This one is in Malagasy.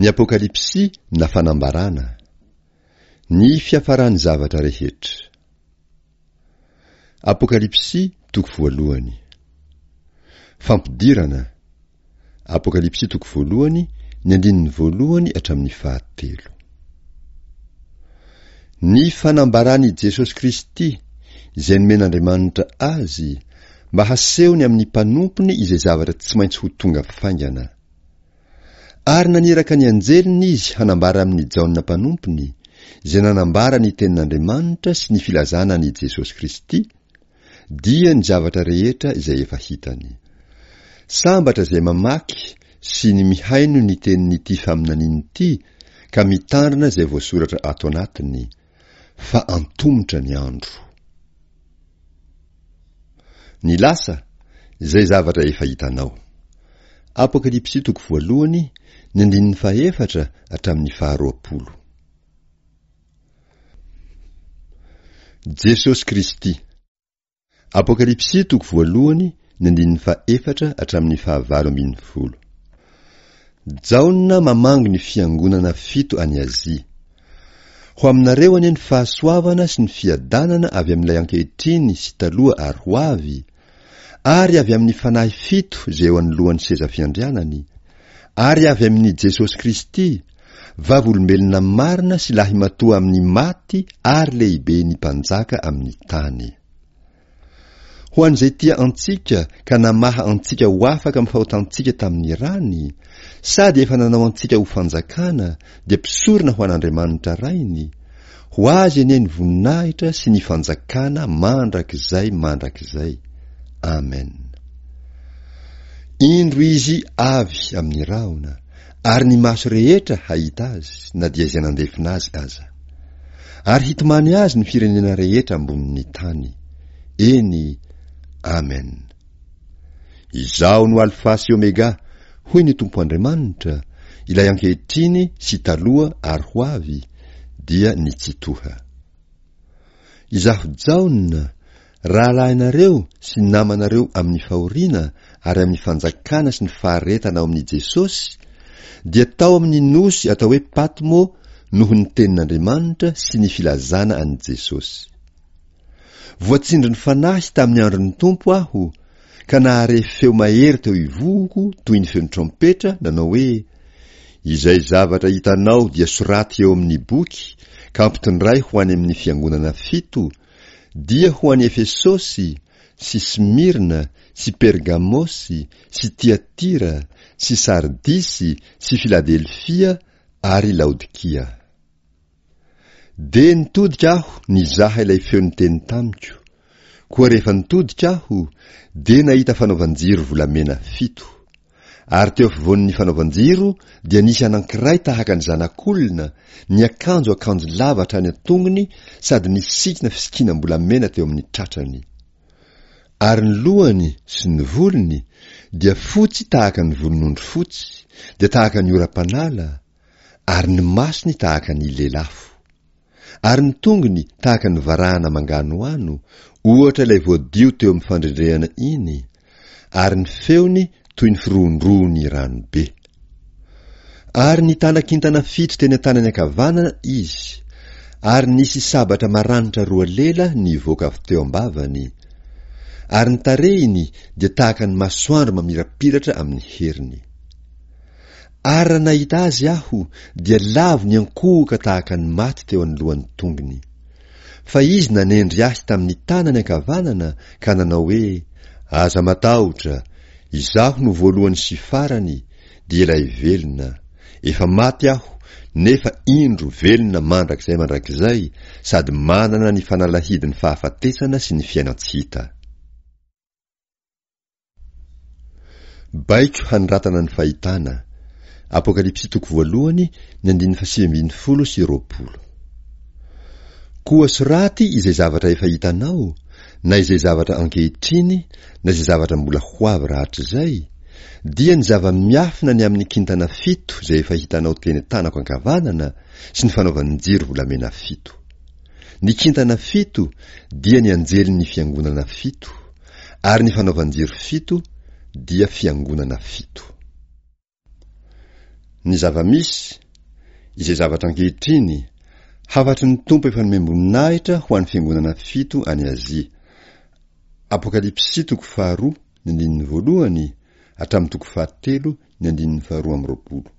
Ny Apokalypsy na Fanambarana. Ny fiafaran'ny zavatra rehetra. Apokalypsy toko voalohany. Fampidirana. Apokalypsy toko voalohany, ny andininy voalohany hatramin'ny fahatelo. Ny fanambaran'i Jesosy Kristy, izay nomen'Andriamanitra Azy, mba hasehony amin'ny mpanompony izay zavatra tsy maintsy ho tonga faingana. Ary naniraka ny anjeliny Izy hanambara amin'i Jaona mpanompony, izay nanambara ny tenin'Andriamanitra sy ny filazana an'i Jesosy Kristy, dia ny zavatra rehetra izay efa hitany. Sambatra izay mamaky sy ny mihaino ny tenin'ity faminaniana ity ka mitandrina izay voasoratra ato anatiny, fa antomotra ny andro. Ny lasa, izay zavatra efa hitanao. Apokalypsy toko voalohany, ny andininy fahefatra hatramin'ny faharoapolo. Jesosy Kristy. Apokalypsy toko voalohany ny andininy fahefatra hatramin'ny fahavalo ambin'ny folo. Jaona mamangy ny fiangonana fito any Azia. Ho aminareo anie ny fahasoavana sy ny fiadanana avy amin'ilay ankehitriny sy taloha ary ho avy, ary avy amin'ny fanahy fito izay eo anoloan'ny seza fiandrianany, ary avy amin'i Jesosy Kristy, vavolombelona marina sy lahimatoa amin'ny maty ary lehiben'ny mpanjaka amin'ny tany. Ho an'izay tia antsika ka namaha antsika ho afaka amin'ny fahotantsika tamin'ny rany, sady efa nanao antsika ho fanjakana dia mpisorona ho an'Andriamanitra Rainy, ho Azy anie ny voninahitra sy ny fanjakana mandrakizay mandrakizay. Amen. Indro Izy avy amin'ny rahona, ary ny maso rehetra hahita Azy, na dia izay nandefona Azy aza. Ary hitomany Azy ny firenena rehetra ambonin'ny tany. Eny, Amen. Izaho no Alfa sy Omega, hoy ny Tompo Andriamanitra, ilay ankehitriny sy taloha ary ho avy, dia ny Tsitoha. Izaho Jaona, rahalahinareo sy namanareo amin'ny fahoriana ary amin'ny fanjakana sy ny faharetana ao amin'i Jesosy, dia tao amin'ny nosy atao hoe Patmo noho ny tenin'Andriamanitra sy ny filazana an'i Jesosy. Voatsindrin'ny Fanahy tamin'ny andron'ny Tompo aho, ka nahare feo mahery teo ivohoko toy ny feon-trompetra, nanao hoe, Izay zavatra hitanao dia soraty eo amin'ny boky ka ampitondray ho any amin'ny fiangonana fito, dia ho any Efesosy, sy Smyrna, sy Pergamosy, sy Tyatira, sy Sardisy, sy Filadelfia ary Laodikia. Dia nitodika aho nizaha ilay feo niteny tamiko. Koa rehefa nitodika aho, dia nahita fanaovan-jiro volamena fito. Ary teo afovoan'ny fanaovan-jiro dia nisy anankiray tahaka ny zanak'olona, niakanjo akanjo lava hatrany an-tongony sady nisikina fisikinam-bolamena teo amin'ny tratrany. Ary ny lohany sy ny volony dia fotsy tahaka ny volon'ondry fotsy, dia tahaka ny oram-panala, ary ny masony tahaka ny lelafo. Ary ny tongony tahaka ny varahana manganohano, ohatra ilay voadio teo amin'ny fandrendrehana iny, ary ny feony toy ny firohondrohon'ny rano be. Ary nitana kintana fito teny an-tanany ankavanana izy, ary nisy sabatra maranitra roa lela nivoaka avy teo am-bavany, ary ny tarehiny dia tahaka ny masoandro mamirapiratra amin'ny heriny. Ary raha nahita azy aho, dia lavo niankohoka tahaka ny maty teo anoloan'ny tongony. Fa izy nanendry ahy tamin'ny tanany ankavanana ka nanao hoe, Aza matahotra, izaho no voalohany sy farany, dia ilay velona. Efa maty aho, nefa indro velona mandrakizay mandrakizay, sady manana ny fanalahidin'ny fahafatesana sy ny fiainan-tsy hita. Baiko hanoratana ny fahitana. Apokalypsy toko voalohany, ny andininy fahasivy ambin'ny folo sy 20. Koa soraty izay zavatra efa hitanao, na izay zavatra ankehitriny, na izay zavatra mbola ho avy rahatrizay, dia ny zava-miafina ny amin'ny kintana fito izay efa hitanao teny an-tanako ankavanana sy ny fanaovan-jiro volamena fito. Ny kintana fito dia ny anjelin'ny fiangonana fito. Ary ny fanaovan-jiro fito dia fiangonana fito. Ny zava-misy, izay zavatra ankehitriny, hafatry ny Tompo efa nomem-boninahitra ho an'ny fiangonana fito any Azia. Apokalypsy toko faharoa ny andininy voalohany hatramin'ny toko fahatelo ny andininy faharoa amby roapolo.